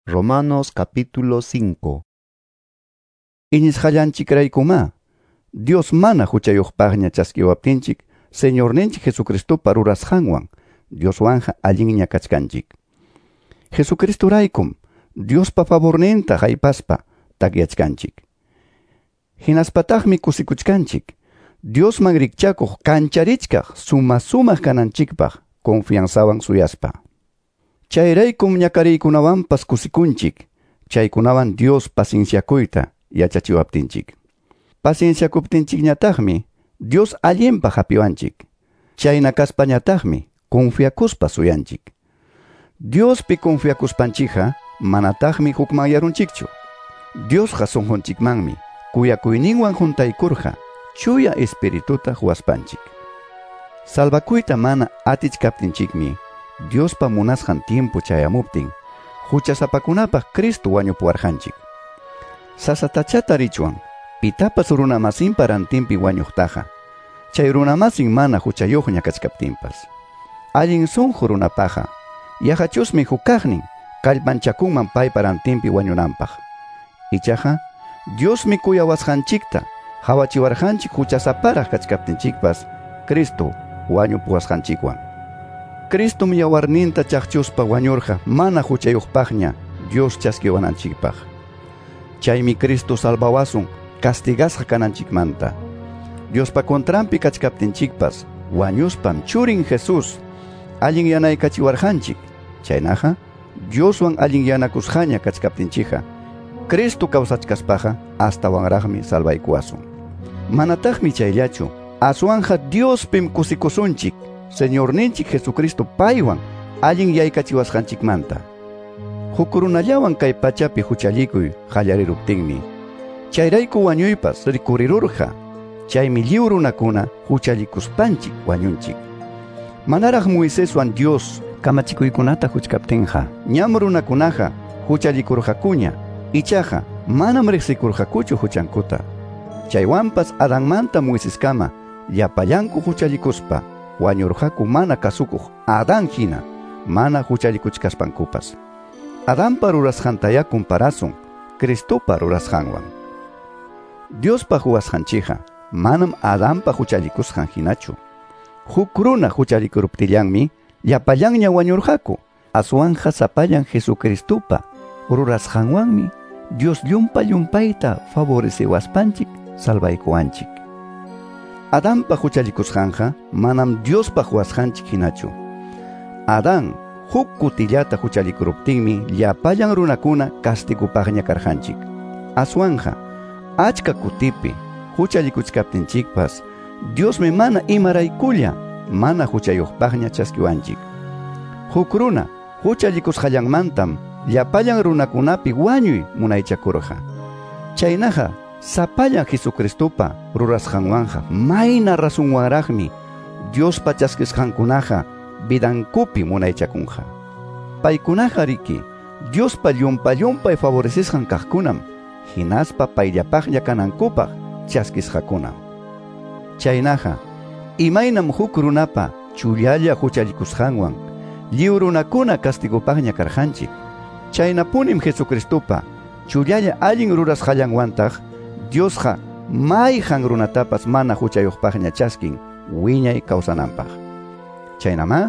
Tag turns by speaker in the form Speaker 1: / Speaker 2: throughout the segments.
Speaker 1: Romanos capítulo 5.
Speaker 2: Iñisqallanchikraykumá, Dios mana huchayuqpaqña chaskiwaptinchik, Señorninchik Jesucristopa rurasqanwan, Dioswanja allinña kachkanchik. Jesucristoraykum, Diospa favorninta haypaspa takyachkanchik. Hinaspataqmi kusikuchkanchik, Diosman rikchakuq kancharichkaq suma sumaq kananchikpaq confianzawan suyaspa. Chayraykum ñakariykunawanpas kusikunchik, chaykunawan Dios pacienciakuyta yachachiwaptinchik. Pacienciakuptinchikñataqmi Dios allinpaq hapiwanchik. Chayna kaspañataqmi confiakuspa suyanchik. Diospi confiakuspanchikqa manataqmi hukmanyarunchikchu. Diosqa sunqunchikmanmi kuyakuyninwan juntaykurqa chuya espirituta huwaspanchik. Salvakuyta mana atichkaptinchikmi Diospa munasqan tiempo chayamuptin huchasapakunapaq Cristo wañupuwarqanchik. Sasatacha tarichwan pitapas runamasinpa rantinpi wañuqtaqa, chay runamasin mana huchayuqña kachkaptinpas. Allin sunqu runapaqa yaqachusmi hukaqnin kallpanchakunman paypa rantinpi wañunanpaq. Ichaqa Diosmi kuyawasqanchikta hawachiwarqanchik huchasaparaq kachkaptinchikpas Cristo wañupuwasqanchikwan. Cristom yawarninta chaqchuspa wañurqa mana huchayuqpaqña Dios chaskiwananchikpaq. Chaymi Cristo salvawasun castigasqa kananchikmanta. Diospa contranpi kachkaptinchikpas wañuspam churin Jesús allin yanaykachiwarqanchik. Chaynaqa Dioswan allin yanakusqaña kachkaptinchikqa Cristo kawsachkaspaqa astawanraqmi salvaykuwasun. Manataqmi chayllachu, aswanja Diospim kusikusunchik, Señorninchik Jesucristo paywan allin yaykachiwasqanchikmanta. Huk runallawan kay pachapi huchallikuy qallariruptinmi, chayrayku wañuypas rikurirurqa, chaymi lliw runakuna huchallikuspanchik wañunchik. Manaraq Moiseswan Dios
Speaker 3: kamachikuykunata huchkaptinqa,
Speaker 2: ñam runakunaqa huchallikurqakuña, ichaqa manam riqsikurqakuchu huchankuta. Chaywanpas Adanmanta Moiseskama llapallanku huchallikuspa wañurqaku mana kasukuq Adán hina mana huchallikuchkaspankupas. Adanpa rurasqantayá comparasun Cristopa rurasqanwan. Diospa huwasqanchikqa manam Adanpa huchallikusqan hinachu. Huk runa huchallikuruptillanmi llapallanña wañurqaku. Aswanja sapallan Jesucristopa rurasqanwanmi Dios llumpa llumpayta favoreciwaspanchik salvaykuwanchik. Adanpa huchallikusqanqa manam Diospa huwasqanchik hinachu. Adán huk kutillata huchallikuruptinmi llapallan runakuna castigupaqña karqanchik. Aswanja achka kutipi huchallikuchkaptinchikpas Diosmi mana imaraykulla mana huchayuqpaqña chaskiwanchik. Huk runa huchallikusqallanmantam llapallan runakunapi wañuy munaychakurqa. Chaynaqa sapallan Jesucristopa rurasqanwanja mayna rasunwanraqmi Diospa chaskisqankunaqa vidankupi munaychakunqa. Paykunaqa riki Diospa llumpa llumpay favorecisqan kaqkunam hinaspa payllapaqña kanankupaq chaskisqakunam. Chaynaqa imaynam huk runapa chullalla huchallikusqanwan lliw runakuna castigupaqña karqanchik, chaynapunim Jesucristopa chullalla allin rurasqallanwantaq Diosqa mayqan runatapas mana huchayuqpaqña chaskin wiñay kawsananpaq. Chaynamá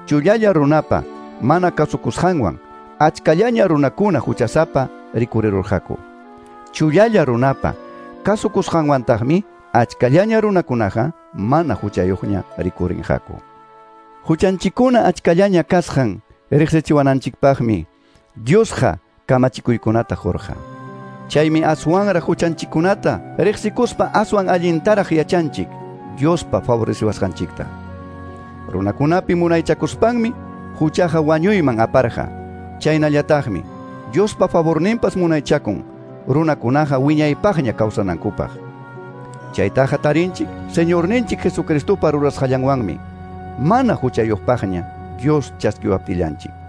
Speaker 2: chullalla runapa mana kasukusqanwan achkallaña runakuna huchasapa rikurirurqaku. Chullalla runapa kasukusqanwantaqmi achkallaña runakunaqa mana huchayuqña rikurinqaku. Huchanchikuna achkallaña kasqan riqsichiwananchikpaqmi Diosqa kamachikuykunata qurqa. Chaymi aswanraq huchanchikunata riqsikuspa aswan allintaraq yachanchik Diospa favoreciwasqanchikta. Runakunapi munaychakuspanmi huchaqa wañuyman aparqa. Chaynallataqmi Diospa favorninpas munaychakun runakunaqa wiñaypaqña kawsanankupaq. Chaytaqa tarinchik Señorninchik Jesucristopa rurasqallanwanmi mana huchayuqpaqña Dios chaskiwaptillanchik.